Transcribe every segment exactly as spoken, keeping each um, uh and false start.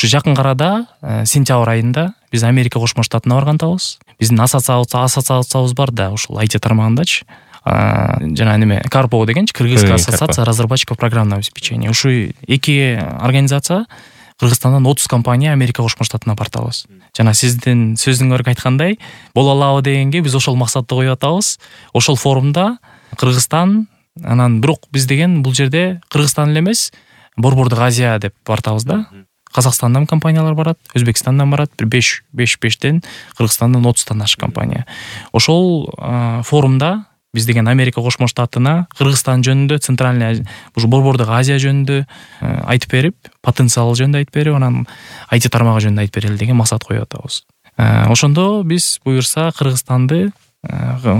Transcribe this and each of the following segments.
Ушу жакын арада сентябрь айында биз Америка Кошмо Штатына барган атабыз. Биздин ассоциациябыз бар да, ушул ай ти тармагындачы. Жана неме Карпо дегенчи, Кыргызская ассоциация разработчиков программного обеспечения. Ушу эки организация Кыргызстандан отуз компания Америка Кошмо Штатына бартабыз. Жана сиздин сөзүңөргө айткандай, боло алабы дегенге биз ошол максатты коюп атабыз. Ошол форумда Кыргызстан, анан бирок биз деген бул жерде Кыргызстан эле эмес, Борбордук Азия деп бартабыз да. Казакстандан компаниялар барат, Өзбекстандан барат, бир беш бештен, Кыргызстандан отуздан ашык компания. Ошол форумда биз деген Америка Кошмо Штатына Кыргызстан жөнүндө, Центральный ушу Борбордук Азия жөнүндө айтып берип, потенциал жөнүндө айтып берип, анан ай ти тармагы жөнүндө айтып берели деген максат коюп атабыз. Ошондо биз буюрса Кыргызстанды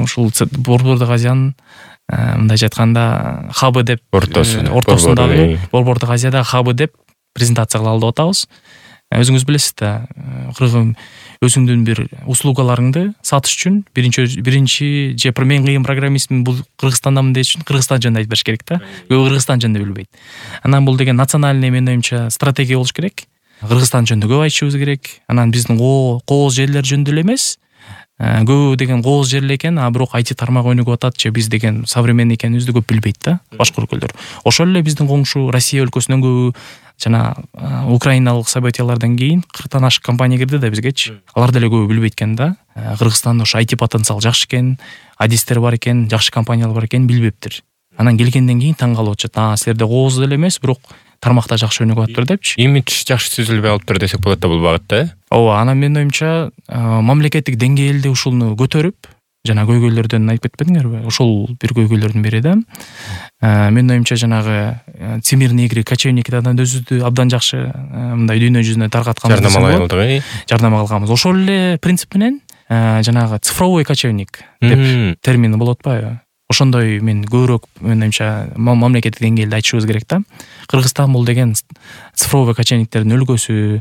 ушул Борбордук Азиянын мындайча айтканда хабы деп, ортосундагы Борбордук Азиядагы хабы деп презентация кылалы деп атабыз. Өзүңүз билесиз да, Кыргыз өзүңдүн бир услугаларыңды сатыш үчүн биринчи биринчи же мен кыйын программистмин, бул Кыргызстандамын деш үчүн Кыргызстан жөнүндө айтып бериш керек да. Көбү Кыргызстан жөнүндө билбейт. Анан бул деген национальный, менин оюмча, стратегия болуш керек. Кыргызстан жөнүндө көп айтышыбыз керек. Анан биздин кооз жерлер жөнүндө эле эмес, көбү деген кооз жерлер экен, а бирок ай ти тармагы өнүгүп атат же биз деген современный экенибизди көп билбейт да башка өлкөлөр. Ошол эле биздин коңшу Россия өлкөсүнөн көбү жана украиналык событиялардан кийин кырктан ашык компания кирди да бизгечи. Алар деле көбү билбейт экен да. Кыргызстанда ошо ай ти потенциал жакшы экен, адистер бар экен, жакшы компаниялар бар экен билбептир. Анан келгенден кийин таң калып атышат. А силерде кооз деле эмес, бирок тармакта жакшы өнүгүп атыптыр депчи. Имидж жакшы түзүлбөй алыптыр десек болот да бул багытта, э? Ооба, анан менин оюмча мамлекеттик деңгээлде ушуну көтөрүп, жана көйгөйлөрдөн айтып кетпедиңерби? Ошол бир көйгөйлөрдүн бири да. Менин оюмча жанагы Всемирный игры кочевниктерден өзүбүздү абдан жакшы мындай дүйнө жүзүнө таркатканбыз десем болот. Жардам кылганбыз. Ошол эле принцип менен жанагы цифровой кочевник деп термин болуп атпайбы? Ошондой мен көбүрөөк менин оюмча мамлекеттик деңгээлде айтышыбыз керек да. Кыргызстан бул деген цифровой кочевниктердин өлкөсү.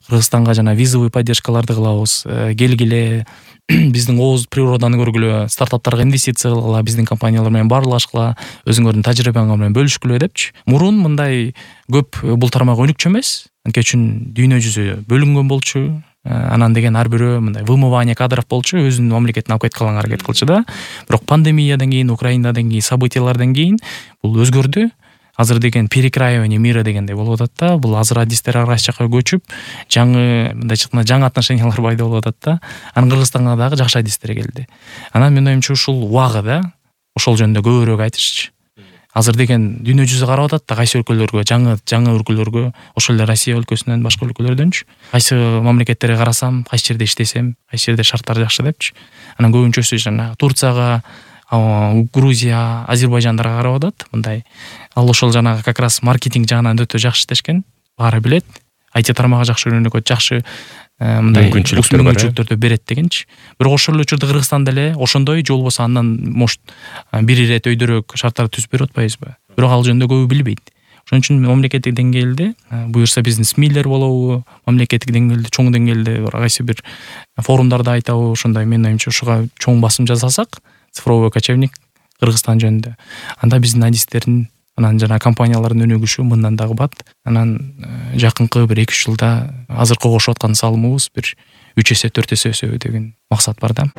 Кыргызстанга жана визовый поддержкаларды кылабыз. Келгиле, биздин кооз природаны көргүлө, стартаптарга инвестиция кылгыла, биздин компаниялар менен баарлашкыла, өзүңөрдүн тажрыйбаңар менен бөлүшкүлө депчи. Мурун мындай көп бул тармак өнүкчү эмес. Анткени үчүн дүйнө жүзү бөлүнгөн болчу. Анан деген ар бирөө мындай вымывание кадров болчу, өзүнүн мамлекетин алып кеткенга аракет кылчу да. Бирок пандемиядан кийин, Украинадан кийин, событиялардан кийин бул өзгөрдү. Азыр деген перекраивание мира дегендей болуп атат да. Бул азыр адистер ар кайсы жака көчүп, жаңы мындайча айтканда жаңы отношениялар пайда болуп атат да. Анан Кыргызстанга дагы жакшы адистер келди. Анан менин оюмча ушул убагы да, ошол жөнүндө көбүрөөк айтышчы. Азыр деген дүйнө жүзү карап атат да, кайсы өлкөлөргө, жаңы жаңы өлкөлөргө, ошол эле Россия өлкөсүнөн, башка өлкөлөрдөнчү. Кайсы мамлекеттерге карасам, кайсы жерде иштесем, кайсы жерде шарттар жакшы депчи. Анан көбүнчөсү жана Турцияга, Грузия, Азербайжандарга карап атат. Мындай ал ошол жанагы как раз маркетинг жагынан өтө жакшы иштешкен, баары билет. ай ти тармагы жакшы өнүгөт, жакшы мындай мүмкүнчүлүктөрдү берет дегенчи. Бирок ошол эле учурда Кыргызстан деле ошондой же болбосо андан может бир ирет өйдөрөөк шарттар түзүп берип атпайбызбы? Бирок ал жөнүндө көбү билбейт. Ошон үчүн мамлекеттик деңгээлде буюрса биздин СМИлер болобу, мамлекеттик деңгээлде, чоң деңгээлде кайсы бир форумдарда айтабы, ошондой менин оюмча ушуга чоң басым жасасак, цифровой кочевник Кыргызстан жөнүндө. Анда биздин адистердин, анан жана компаниялардын өнүгүшү мындан дагы бат. Анан жакынкы бир эки үч жылда азыркы кошуп аткан салымыбыз бир үч эсе, төрт эсе өсөбү деген максат бар да.